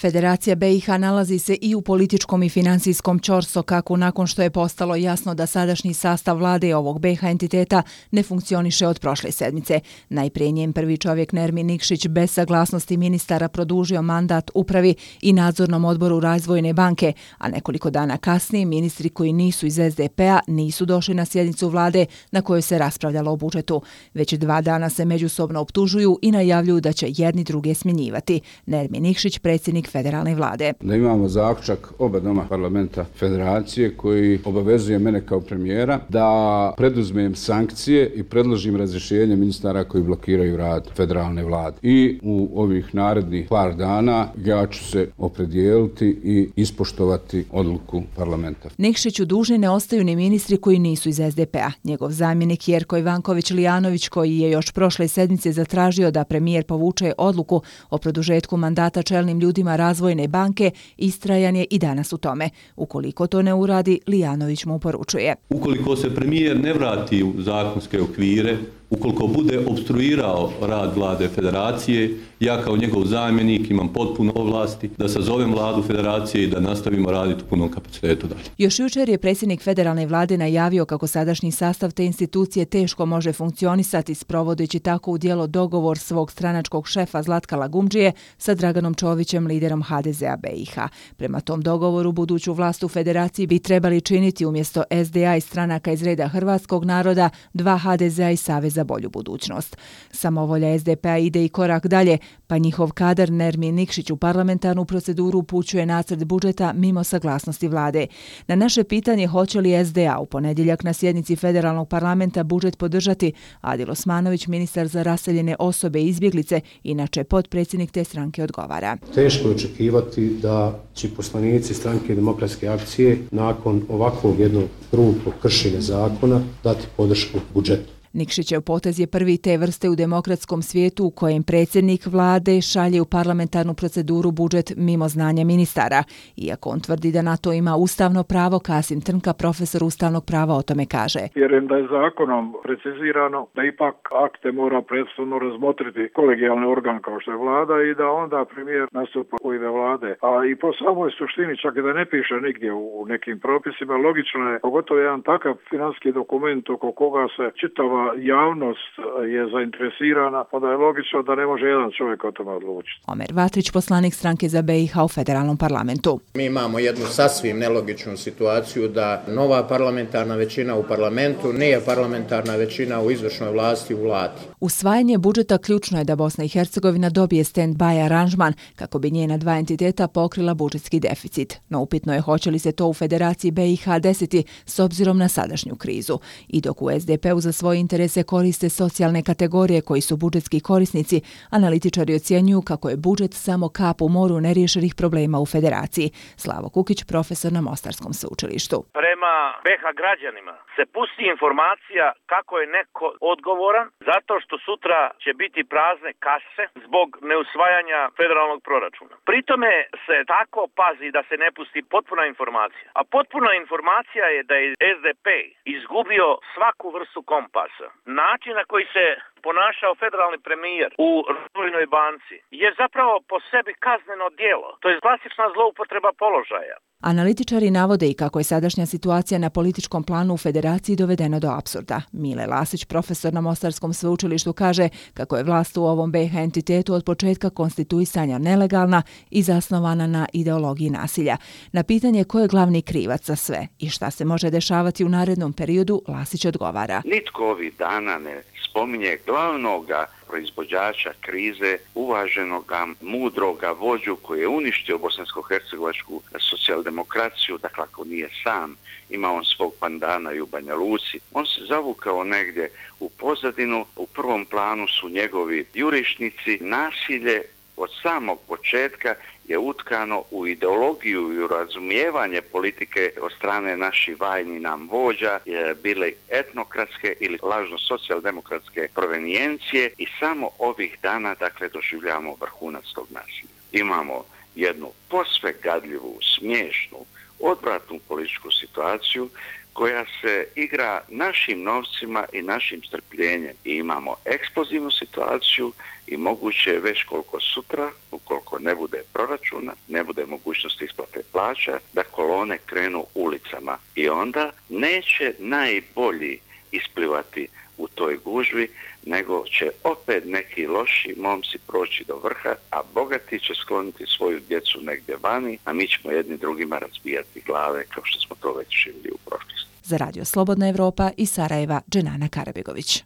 Federacija BiH nalazi se i u političkom i financijskom ćorsokaku nakon što je postalo jasno da sadašnji sastav vlade ovog BiH entiteta ne funkcioniše od prošle sedmice. Najprije njen prvi čovjek Nermin Nikšić bez saglasnosti ministara produžio mandat upravi i nadzornom odboru Razvojne banke, a nekoliko dana kasnije ministri koji nisu iz SDP-a nisu došli na sjednicu vlade na kojoj se raspravljalo o budžetu. Već 2 dana se međusobno optužuju i najavljuju da će jedni druge smjenjivati. Nermin Nikšić, predsjednik federalne vlade. Da imamo zaključak oba doma parlamenta federacije koji obavezuje mene kao premijera da preduzmem sankcije i predložim razrješenje ministara koji blokiraju rad federalne vlade. I u ovih narednih par dana ja ću se opredijeliti i ispoštovati odluku parlamenta. Nikšiću dužni ne ostaju ni ministri koji nisu iz SDP-a. Njegov zamjenik Jerko Ivanković-Lijanović, koji je još prošle sedmice zatražio da premijer povuče odluku o produžetku mandata čelnim ljudima Razvojne banke, istrajan je i danas u tome. Ukoliko to ne uradi, Lijanović mu poručuje. Ukoliko se premijer ne vrati u zakonske okvire, ukoliko bude opstruirao rad vlade federacije, ja kao njegov zamjenik imam potpuno ovlasti da sazovem vladu federacije i da nastavimo raditi u punom kapacitetu dalje. Još jučer je predsjednik federalne vlade najavio kako sadašnji sastav te institucije teško može funkcionisati sprovodeći tako u djelo dogovor svog stranačkog šefa Zlatka Lagumdžije sa Draganom Čovićem, liderom HDZ-a BiH. Prema tom dogovoru buduću vlast u federaciji bi trebali činiti umjesto SDA i stranaka iz reda hrvatskog naroda 2 HDZ-a i Savez za bolju budućnost. Samovolja SDP-a ide i korak dalje, pa njihov kadar Nermin Nikšić u parlamentarnu proceduru upućuje nacrt budžeta mimo saglasnosti vlade. Na naše pitanje hoće li SDA u ponedjeljak na sjednici federalnog parlamenta budžet podržati, Adil Osmanović, ministar za raseljene osobe i izbjeglice, inače potpredsjednik te stranke, odgovara. Teško je očekivati da će poslanici stranke Demokratske akcije nakon ovakvog jednog grubog kršenja zakona dati podršku budžetu. Nikšićev potez je prvi te vrste u demokratskom svijetu u kojem predsjednik vlade šalje u parlamentarnu proceduru budžet mimo znanja ministara. Iako on tvrdi da na to ima ustavno pravo, Kasim Trnka, profesor ustavnog prava, o tome kaže. Vjerujem da je zakonom precizirano da ipak akte mora prethodno razmotriti kolegijalni organ kao što je vlada i da onda premijer nastupa u ime vlade. A i po samoj suštini, čak i da ne piše nigdje u nekim propisima, logično je, pogotovo jedan takav financijski dokument oko koga se čitava javnost je zainteresirana, onda je logično da ne može jedan čovjek o tome odlučiti. Omer Vatrić, poslanik stranke za BiH u federalnom parlamentu. Mi imamo jednu sasvim nelogičnu situaciju da nova parlamentarna većina u parlamentu nije parlamentarna većina u izvršnoj vlasti u vladi. Usvajanje budžeta ključno je da Bosna i Hercegovina dobije stand-by aranžman kako bi njena 2 entiteta pokrila budžetski deficit. No upitno je hoće li se to u Federaciji BiH desiti s obzirom na sadašnju krizu. I dok u SDP-u za svoje interese koriste socijalne kategorije koji su budžetski korisnici, analitičari ocjenjuju kako je budžet samo kap u moru neriješenih problema u Federaciji. Slavo Kukić, profesor na Mostarskom sveučilištu. Prema BiH građanima se pusti informacija kako je neko odgovoran zato što sutra će biti prazne kase zbog neusvajanja federalnog proračuna. Pritome se tako pazi da se ne pusti potpuna informacija. A potpuna informacija je da je SDP izgubio svaku vrstu kompasa. Način na koji se ponašao federalni premijer u Razvojnoj banci je zapravo po sebi kazneno djelo. To je klasična zloupotreba položaja. Analitičari navode i kako je sadašnja situacija na političkom planu u Federaciji dovedena do apsurda. Mile Lasić, profesor na Mostarskom sveučilištu, kaže kako je vlast u ovom BiH entitetu od početka konstituisanja nelegalna i zasnovana na ideologiji nasilja. Na pitanje ko je glavni krivac za sve i šta se može dešavati u narednom periodu, Lasić odgovara. Nitko ovih dana ne spominje glavnoga proizvođača krize, uvaženoga, mudroga vođu koji je uništio bosansko-hercegovačku socijaldemokraciju, dakle ako nije sam, ima on svog pandana i u Banja Luci. On se zavukao negdje u pozadinu, u prvom planu su njegovi jurišnici, nasilje od samog početka je utkano u ideologiju i u razumijevanje politike od strane naših vajni nam vođa, bile etnokratske ili lažno socijaldemokratske provenijencije i samo ovih dana dakle doživljavamo vrhunac tog nasilja. Imamo jednu posve gadljivu, smiješnu, odvratnu političku situaciju koja se igra našim novcima i našim strpljenjem. I imamo eksplozivnu situaciju i moguće je već koliko sutra, ukoliko ne bude proračuna, ne bude mogućnosti isplate plaća, da kolone krenu ulicama. I onda neće najbolji isplivati u toj gužvi, nego će opet neki loši momci proći do vrha, a bogati će skloniti svoju djecu negdje vani, a mi ćemo jedni drugima razbijati glave kao što smo to već živjeli u prošlosti. Za Radio Slobodna Evropa iz Sarajeva, Dženana Karabegović.